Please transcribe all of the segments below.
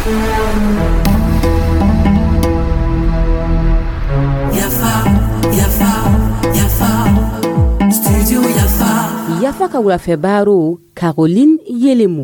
Yafa, Yafa, Yafa, Studio Yafa. Yafa ka wulafɛ baro, Caroline Yelemu.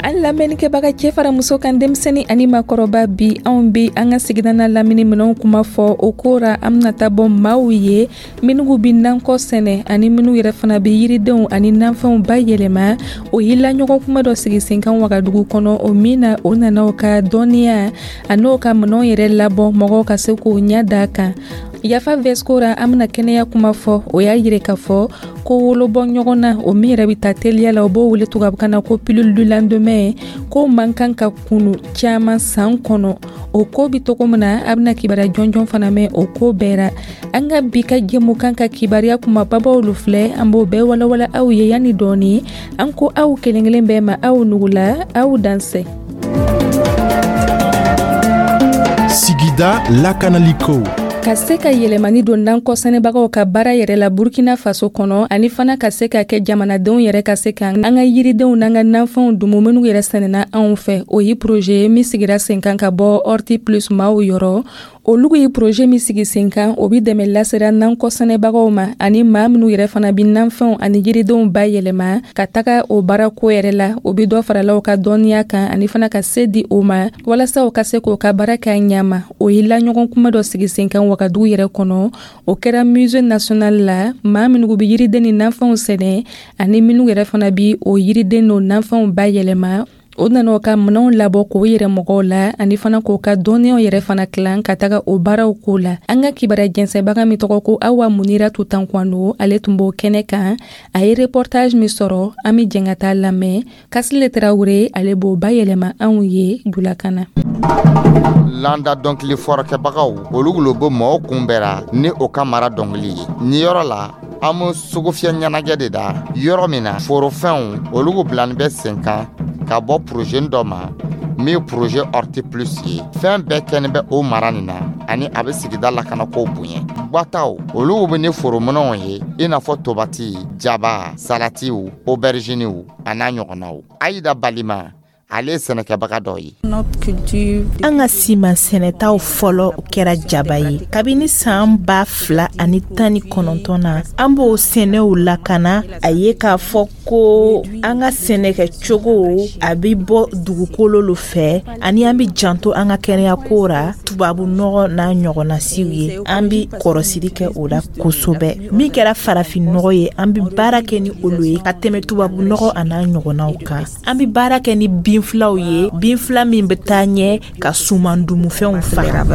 An lamɛnnikɛbaga, cɛ fara muso kan, denmisɛnni ani makɔrɔba, bi anw be an ka sigida n'a lamini minɛnw kuma fɔ. O ko ra, an bena taa bɔ maaw ye minnu bi nankɔ sɛnɛ ani minnu yɛrɛ fana be yiridenw ani nanfɛnw bayɛlɛma. O ye laɲɔgɔn kuma dɔ sigi sen kan Wagadugu kɔnɔ, o min na o nana o ka dɔnniya an'o ka minɛnw yɛrɛ labɔ mɔgɔw ka se k'o ɲɛ da kan. Yafa vɛsko ra, an bena kɛnɛya kuma fɔ. O y'a yire k'a fɔ ko wolobɔ ɲɔgɔn na, o min yɛrɛ bɛ ta teliya la, o b'o wele tubabukan na ko pilule du lendemain, ko man kan ka kunu caman san kɔnɔ. O ko bi cogo min na, a bɛna kibaruya jɔnjɔn fana mɛn o ko bɛɛ ra. An ka bi ka jɛmukan ka kibaruya kumababaw lu filɛ, an b'o bɛɛ walawala aw ye yanni dɔɔni. An ko aw kelen kelen bɛɛ ma, aw nugula, aw dansɛ. Sigida lakanaliko. Ka se ka yɛlɛmani don nankɔ sɛnɛbagaw ka baara yɛrɛ la Burkina Faso kɔnɔ, ani fana ka se ka kɛ jamanadenw yɛrɛ ka se ka an ka yiridenw n'an ka nanfɛnw dumu minnu yɛrɛ sɛnɛna anw fɛ, o ye projet ye min sigira sen kan ka bɔ Horti Plus maaw yɔrɔ. Olu ye projet min sigi sen kan, o bi dɛmɛ lasera nankɔ sɛnɛbagaw ma ani maa minnu yɛrɛ fana bi nanfɛnw ani yiridenw bayɛlɛma ka taga o baarako yɛrɛ la. O bi dɔ farala u ka dɔnniya kan ani fana ka se di o ma walasa u ka se k'o ka baara kɛ ɲama. O ye laɲɔgɔn kuma dɔ sigi sen kan Wagadugu yɛrɛ kɔnɔ, o kɛra Musée national la. Maa minnu bi yiriden ni nanfɛnw sɛnɛ ani minnu yɛrɛ fana bi o yiriden n'o nanfɛnw bayɛlɛma, o nana o ka minɛnw labɔ k'o yɛrɛ mɔgɔw la ani fana k'o ka dɔnniyaw yɛrɛ fana tilan ka taga o baaraw ko la. An ka kibaruya jɛnsɛnbaga min tɔgɔ ko Awa Munira Tutankwano, ale tun b'o kɛnɛ kan. A ye reportage min sɔrɔ, an be jɛn ka taa lamɛn. Kasile Tarawure, ale b'o bayɛlɛma anw ye julakan na. Landa dɔnkili fɔrɔkɛbagaw, olu lo bɛ mɔgɔw kunbɛra ni o ka mara dɔnkili ye. Ni yɔrɔ la, an be sugufiyɛ ɲɛnajɛ de da yɔrɔ min na forofɛnw olu bilani bɛ sen kan ka bɔ projet dɔ ma min ye projet Horti Plus ye. Fɛn bɛɛ kɛni bɛ o mara nin na ani a bɛ sigida lakanakow bonya. Gwataw, olu bɛ ni forominɛnw ye, i n'a fɔ tobati, jaba, salatiw, auberginiw a n'a ɲɔgɔnnaw. Ayida Balima, ale ye sɛnɛkɛbaga dɔ ye. An ka siman sɛnɛtaw fɔlɔ kɛra jaba ye kabini san 2019 na. An b'o sɛnɛw lakana. A ye k'a fɔ ko an ka sɛnɛkɛcogo, a bɛ bɔ dugukolo lo fɛ ani an bɛ janto an ka kɛnɛyako ra. Tubabu nɔgɔ n'a ɲɔgɔnna siw ye, an bɛ kɔrɔsiri kɛ o la kosɛbɛ. Min kɛra farafin nɔgɔ ye, an bɛ baara kɛ ni olu ye ka tɛmɛ tubabu nɔgɔ a n'a ɲɔgɔnnaw kan. An bɛ baara kɛ ni binfilaw ye, binfila min bɛ taa ɲɛ ka suman dumufɛnw faga.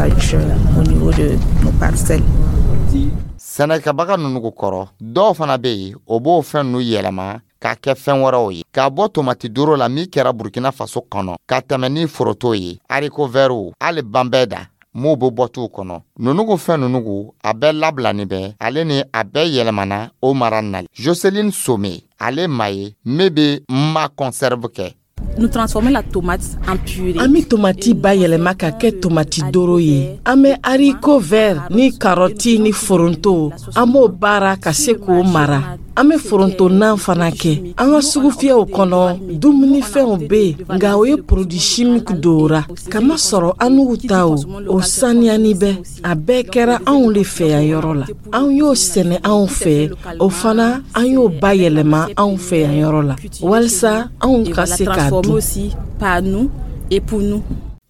Sɛnɛkɛbaga ninnu kɔrɔ, dɔw fana bɛ yen, o b'o fɛn ninnu yɛlɛma k'a kɛ fɛn wɛrɛw ye, k'a bɔ tomati doro la min kɛra Burkina Faso kɔnɔ, ka tɛmɛ ni foroto ye, haricot vertw, hali banbɛɛ da m'o bɛ bɔ t'u kɔnɔ. Nunugu fɛn nunugu a bɛɛ labilani bɛ ale ni a bɛɛ yɛlɛmana o mara na. Joseline Some, ale ma ye min bɛ ma conserve kɛ. Nous transformons la tomate en purée. An bɛ tomati bayɛlɛma ka kɛ tomati doro ye. An bɛ haricot vert ni karɔti ni foronto, an b'o baara ka se k'o mara. An bɛ foronto nan fana kɛ. An ka sugufiyɛw kɔnɔ, dumunifɛnw bɛ yen, nka o ye produit chimique dora. Kamasɔrɔ an n'u ta o, o saniyani bɛ. A bɛɛ kɛra anw de fɛ yan yɔrɔ la. An y'o sɛnɛ anw fɛ, o fana an y'o bayɛlɛma anw fɛ yan yɔrɔ la walisa anw ka se k'a dun. Aussi par nous et pour nous.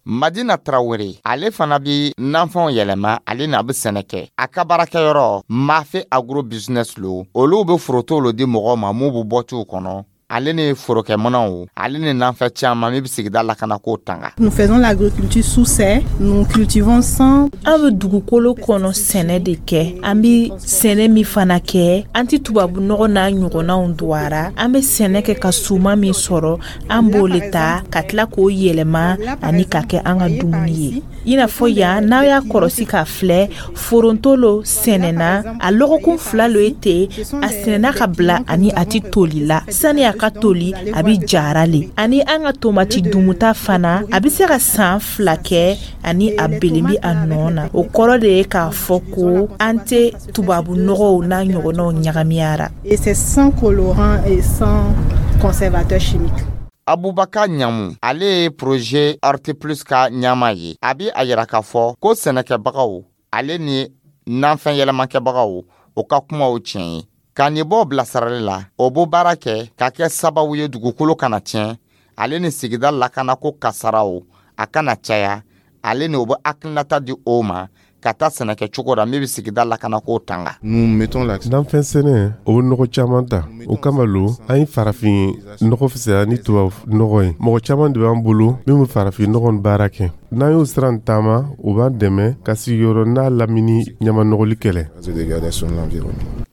Madina Tarawele, ale fana bi nanfɛnw yɛlɛma, ale n'a bɛ sɛnɛ kɛ. A ka baarakɛyɔrɔ Mafe Agro Business lo, olu bɛ forotow lo di mɔgɔw ma mun bɛ bɔ t'u kɔnɔ, ale ni forokɛminɛnw, ale ni nanfɛn caman min bɛ sigida lakanako tanga. Nous faisons l'agriculture sous serre, nous cultivons sans An bɛ dugukolo kɔnɔ sɛnɛ de kɛ. An bɛ sɛnɛ min fana kɛ, an tɛ tubabu nɔgɔ n'a ɲɔgɔnnaw don a ra. An bɛ sɛnɛ kɛ ka suman min sɔrɔ, an b'o le ta ka tila k'o yɛlɛma ani ka kɛ an ka dumuni ye. I n'a fɔ yan, n'a y'a kɔlɔsi k'a filɛ, foronto lo sɛnɛna a lɔgɔkun 2 lo ye ten. A sɛnɛna ka bila ani a tɛ toli la. Sani a ka toli, a bɛ jara le. Ani an ka tomati dumuta fana, a bɛ se ka san 2 kɛ ani a belen bɛ a nɔ na. O kɔrɔ de ye k'a fɔ ko an tɛ tubabu nɔgɔw n'a ɲɔgɔnnaw ɲagamiyara. Et c'est sans colorant et sans conservateur chimique. Abubakar Ɲamu, ale ye projet Hortiplus ka ɲɛmaa ye. A bɛ a yira k'a fɔ ko sɛnɛkɛbagaw ale ni nafɛn yɛlɛmakɛbagaw, o ka kumaw tiɲɛ ye. Ka nin bɔ bilasirali la, o b'o baara kɛ ka kɛ sababu ye dugukolo kana tiɲɛ, ale ni sigida lakanako kasaraw a kana caya, ale ni o bɛ hakilinata di o ma ka taa sɛnɛkɛ cogo la min bɛ sigida lakanako tanga. Nanfɛn sɛnɛ, o bɛ nɔgɔ caman ta. O kama lo an ye farafin nɔgɔ fisaya ni tubabu nɔgɔ ye. Mɔgɔ caman de b'an bolo min bɛ farafin nɔgɔ baara kɛ. N'an y'o sira taama, o b'an dɛmɛ ka sigiyɔrɔ n'a lamini ɲamanɔgɔli kɛlɛ.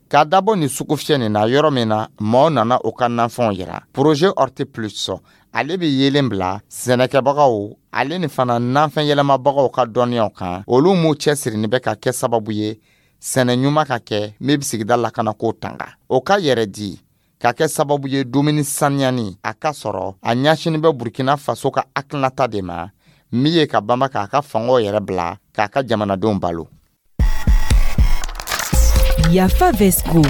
K'a dabɔ nin sugufiyɛ nin na, yɔrɔ min na maaw nana u ka nafɛnw yira, projet Hortiplus, ale bɛ yeelen bila sɛnɛkɛbagaw ale ni fana nafɛn yɛlɛmabagaw ka dɔnniyaw kan, olu m'u cɛsirinin bɛ ka kɛ sababu ye sɛnɛ ɲuman ka kɛ min bɛ sigida lakanako tanga, o ka yɛrɛ di ka kɛ sababu ye dumuni saniyani a ka sɔrɔ. A ɲɛsinin bɛ Burkina Faso ka hakilinata de ma min ye ka banba k'a ka fangaw yɛrɛ bila k'a ka jamanadenw balo. Yafa Vesco.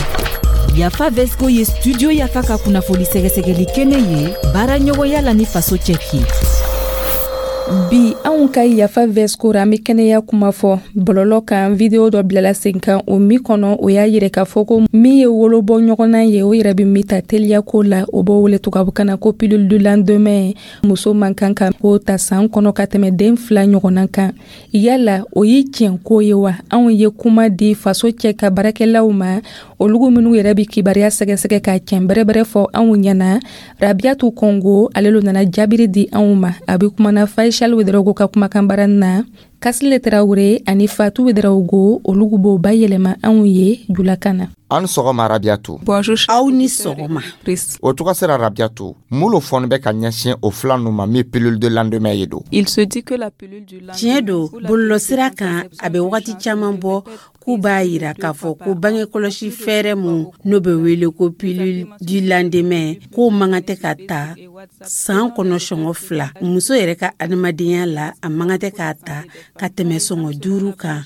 Yafa Vesco ye Studio Yafa ka kunnafoni sɛgɛsɛgɛli kɛnɛ ye, baara ɲɔgɔnya la ni Faso Cɛki. Bi, anw ka Yafa Vesco ra, an be kɛnɛya kuma fɔ. Bɔlɔlɔ kan, video dɔ bilala sen kan, o min kɔnɔ o y'a yirɛ k'a fɔ ko min ye wolobɔ ɲɔgɔnna ye, o yɛrɛ be min ta teliyako la, o b'o wele tubabukan na ko pilule du lendemain. Muso man kan ka k'o ta saan kɔnɔ ka tɛmɛ den 2 ɲɔgɔnna kan. Yala o ye tiɲɛ ko ye wa? Anw ye kuma di Faso Cɛ ka baarakɛlaw ma, olugu minnu yɛrɛ be kibariya sɛgɛsɛgɛ k'a tiɲɛ bɛrɛbɛrɛ fɔ anw ɲɛna. Rabiatu Kɔngo, ale lo nana jaabiri di anw ma. A be kumana Faisal Wederawogo ka kumakan baara na. Kasile Tarawure ani Fatu Wederawogo, olugu b'o bayɛlɛma anw ye julakan na. An sɔgɔma, Rabiatu. Bonjour. Aw ni sɔgɔma. O tɔgɔ sera Rabiatu, mun lo fɔni bɛ ka ɲɛsin o fila nu ma min pilule de lendemain ye don? Il se dit que la pilule du lendemain. Tiɲɛ don, bɔlɔlɔsira kan, a bɛ wagati caman bɔ k'u b'a yira k'a fɔ ko bangekɔlɔsi fɛɛrɛ mun n'o bɛ wele ko pilule du lendemain, k'o man kan tɛ ka ta san kɔnɔ sɔngɔ 2. Muso yɛrɛ ka adamadenya la, a man kan tɛ k'a ta ka tɛmɛ sɔngɔ 5 kan.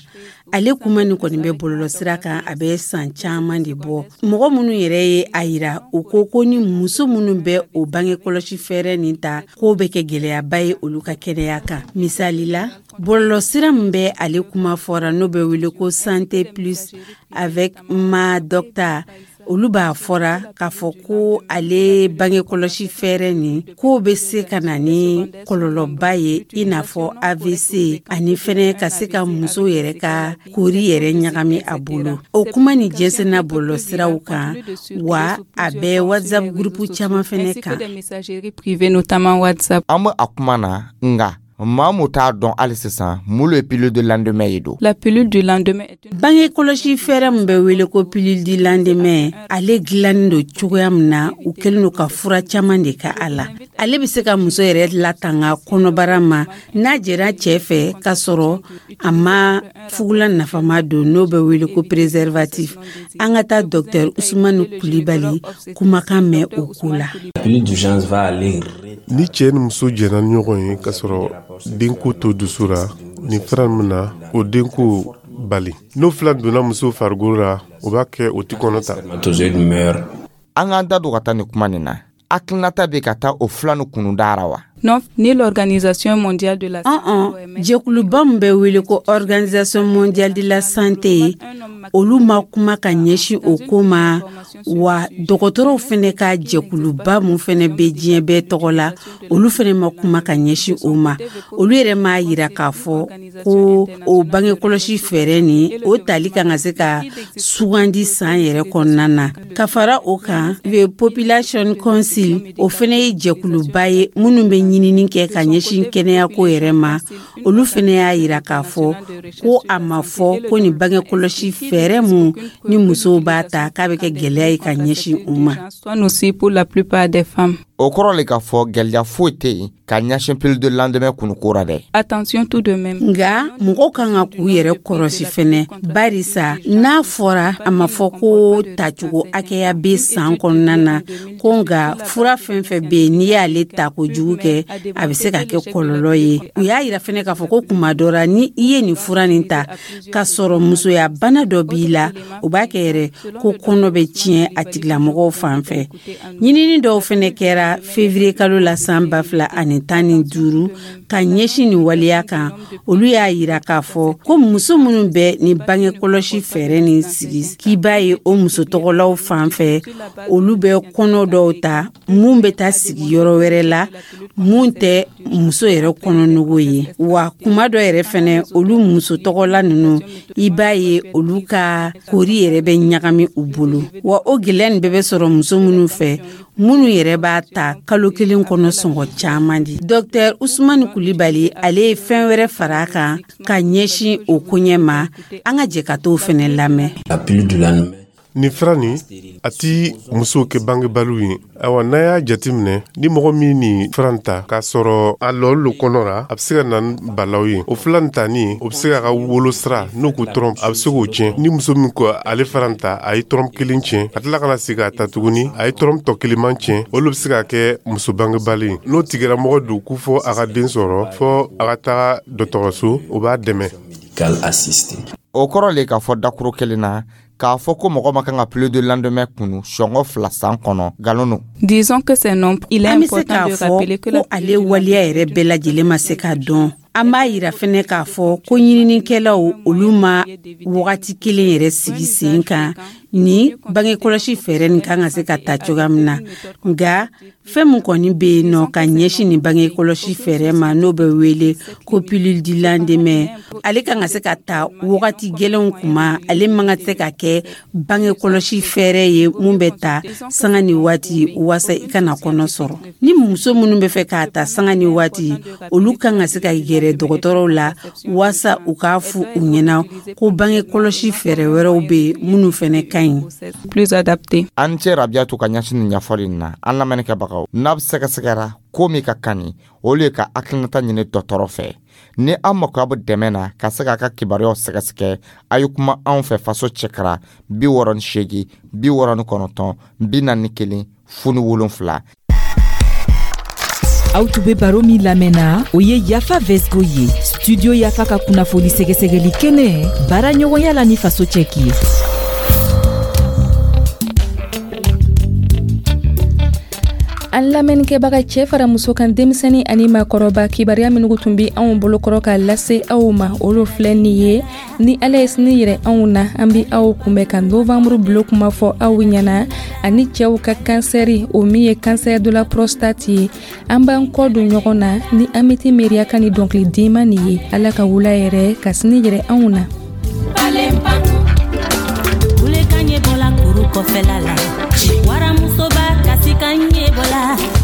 Ale kuma nin kɔni bɛ bɔlɔlɔsira kan, a bɛ san caman de bɔ. Mɔgɔ minnu yɛrɛ ye a yira, u ko ko ni muso minnu bɛ o bangekɔlɔsi fɛɛrɛ nin ta, k'o bɛ kɛ gɛlɛyaba ye olu ka kɛnɛya kan. Misali la, bɔlɔlɔsira min bɛ ale kuma fɔra, n'o bɛ wele ko Santé Plus avec ma docteur, olu b'a fɔra k'a fɔ ko ale bangekɔlɔsi fɛɛrɛ nin, k'o bɛ se ka na ni kɔlɔlɔba ye, i n'a fɔ AVC, ani fɛnɛ ka se ka muso yɛrɛ ka kori yɛrɛ ɲagami a bolo. O kuma nin jɛnsɛnna bɔlɔlɔsiraw kan wa, a bɛ WhatsApp groupe caman fɛnɛ kan. An bɛ a kuma na, nga maa mu t'a dɔn hali sisan mun le pilule de lendemain ye don. La pilule du lendemain est une. Bange kɔlɔsi fɛɛrɛ min bɛ wele ko pilule du lendemain, ale dilannen don cogoya min na, u kɛlen don ka fura caman de ka a la. Ale bɛ se ka muso yɛrɛ latanga kɔnɔbara ma n'a jɛra cɛ fɛ k'a sɔrɔ a ma fugulan nafama don, n'o bɛ wele ko préservatif. An ka taa docteur Usumani Kulibali kumakan mɛn o ko la. Ni cɛ ni muso jɛnna ni ɲɔgɔn ye k'a sɔrɔ denko to dusu ra, nin fura min na o denko bali, n'o fila donna muso farikolo la, o b'a kɛ o ti kɔnɔ ta. An k'an da don ka taa nin kuma nin na, hakilinata bɛ ka taa o fila ni kunundara wa? Non, ni l'Organisation mondiale de la Ɔn, jɛkuluba min bɛ wele ko Organisation mondiale de la santé, olu ma kuma ka ɲɛsin o ko ma wa. Dɔgɔtɔrɔw fɛnɛ ka jɛkuluba mun fɛnɛ bɛ diɲɛ bɛɛ tɔgɔ la, olu fɛnɛ ma kuma ka ɲɛsin o ma. Olu yɛrɛ m'a yira k'a fɔ ko o bangekɔlɔsi fɛɛrɛ nin, o tali kan ka se ka sugandi san yɛrɛ kɔnɔna na. Ka fara o kan, le Population Council, o fɛnɛ ye jɛkuluba ye minnu bɛ ɲinini kɛ ka ɲɛsin kɛnɛyako yɛrɛ ma, olu fɛnɛ y'a yira k'a fɔ ko a ma fɔ ko nin bangekɔlɔsi fɛɛrɛ mun ni musow b'a ta, k'a bɛ kɛ gɛlɛya ye ka ɲɛsin u ma. Aussi pour la plupart des femmes. O kɔrɔ le k'a fɔ gɛlɛya foyi tɛ yen ka ɲɛsin pilule de lendemain kunuko ra dɛ. Attention tout de même. Nga mɔgɔw kan ka k'u yɛrɛ kɔrɔsi fɛnɛ, barisa n'a fɔra a ma fɔ ko tacogo hakɛya bɛ san kɔnɔna na ko, nga fura fɛn fɛn bɛ yen, n'i y'ale ta kojugu kɛ, a bɛ se ka kɛ kɔlɔlɔ ye. U y'a yira fɛnɛ k'a fɔ ko kuma dɔ la, ni i ye nin fura nin ta k'a sɔrɔ musoya bana dɔ b'i la, o b'a kɛ yɛrɛ ko kɔnɔ bɛ tiɲɛ a tigilamɔgɔw fan fɛ. Ɲinini dɔw fɛnɛ kɛra. kɛra février kalo la san 2015 ka ɲɛsin nin waleya kan, olu y'a yira k'a fɔ ko muso minnu bɛ ni bange kɔlɔsi fɛɛrɛ nin sigi, k'i b'a ye o muso tɔgɔlaw fan fɛ, olu bɛ kɔnɔ dɔw ta mun bɛ taa sigi yɔrɔ wɛrɛ la mun tɛ muso yɛrɛ kɔnɔnogo ye. Wa kuma dɔ yɛrɛ fɛnɛ, olu muso tɔgɔla ninnu, i b'a ye olu ka kori yɛrɛ bɛ ɲagami u bolo. Wa o gɛlɛya nin bɛɛ bɛ sɔrɔ muso minnu fɛ, minnu yɛrɛ b'a ta kalo kelen kɔnɔ sɔngɔ caman di. Dr Usumani Kulibali, ale ye fɛn wɛrɛ fara a kan ka ɲɛsin o koɲɛ ma. An ka jɛ ka t'o fɛnɛ lamɛn. Nin fura nin, a ti musow kɛ bangebaliw ye. Ayiwa, n'a y'a jateminɛ, ni mɔgɔ min nin fura ta k'a sɔrɔ a lɔli lo kɔnɔ ra, a bɛ se ka na ni balaw ye. O fura nin tani, o bɛ se k'a ka wolo sira, n'o ko trompe, a bɛ se k'o tiɲɛ. Ni muso min ko ale fura ta, a ye trompe kelen tiɲɛ, ka tila ka na segin k'a ta tuguni, a ye trompe tɔ kelenman tiɲɛ, olu bɛ se ka kɛ muso bangebali ye. N'o tigilamɔgɔ don ko fɔ a ka den sɔrɔ, fɔ a ka taga dɔgɔtɔrɔso, o b'a dɛmɛ. O kɔrɔ le k'a fɔ dakuru kelen na k'a fɔ ko mɔgɔ ma kan ka pilule du lendemain kunu sɔngɔ 2 san kɔnɔ, nkalon don. Disons que c'est non. Il est An bɛ se important k'a de fɔ rappeler que la ko ale waleya yɛrɛ bɛɛ lajɛlen ma se ka dɔn. An b'a yira fɛnɛ k'a fɔ ko ɲininikɛlaw, olu ma wagati kelen yɛrɛ sigi sen kan ni bangekɔlɔsi fɛɛrɛ nin kan ka se ka ta cogoya min na. Nka fɛn min kɔni bɛ yen nɔ ka ɲɛsin nin bangekɔlɔsi fɛɛrɛ ma, n'o bɛ wele ko pilule du lendemain, ale kan ka se ka ta wagati gɛlɛnw kuma. Ale man ka se ka kɛ bangekɔlɔsi fɛɛrɛ ye mun bɛ ta sanga ni waati waasa i kana kɔnɔ sɔrɔ. Ni muso minnu bɛ fɛ k'a ta sanga ni waati, olu kan ka se ka gɛrɛ dɔgɔtɔrɔw la waasa u k'a fɔ u ɲɛna ko bangekɔlɔsi fɛɛrɛ wɛrɛw bɛ yen minnu fɛnɛ ka ɲi. Plus adapté. An cɛ Rabiyatu ka ɲɛsin nin ɲɛfɔli nin na. An lamɛnnikɛbagaw, n'a bɛ sɛgɛsɛgɛra ko min ka kan ni olu ye ka hakilinata ɲini dɔgɔtɔrɔ fɛ. Ni an makoya bɛ dɛmɛ na ka se k'a ka kibaruyaw sɛgɛsɛgɛ, a ye kuma anw fɛ Faso Cɛkara 68 69 41 07. Aw tun be baro min lamɛnna, o ye Yafa Vesgo ye, Studio Yafa ka kunnafoni sɛgɛsɛgɛli kɛnɛ, baara ɲɔgɔnya la ni Faso Cɛki ye. An lamɛnnikɛbaga, cɛɛ fara muso kan, denmisɛni ani maakɔrɔba, kibaruya minnu tun be anw bolokɔrɔ ka lase aw ma, olu filɛ nin ye. Ni Ala ye sini yɛrɛ anw na, an be aw kunbɛn ka novanburu bilo kuma fɔ aw ɲɛna, ani cɛw ka kansɛri, o min ye cancer de la prostate ye. An b'an kɔ don ɲɔgɔn na ni Amiti Meriya ka ni dɔnkili denma nin ye. Ala ka wula yɛrɛ ka sini yɛrɛ anw na. Kulekan ɲɛ bɔla kuru kɔfɛla la, waramusoba kasikan ɲɛ bɔla,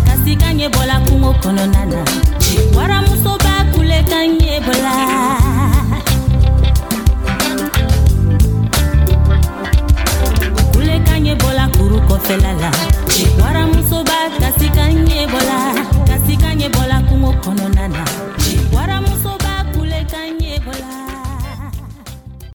kasikan ɲɛ bɔla kungo kɔnɔna na, waramusoba kulekan ɲɛ bɔla. Kulekan ɲɛ bɔla kuru kɔfɛla la.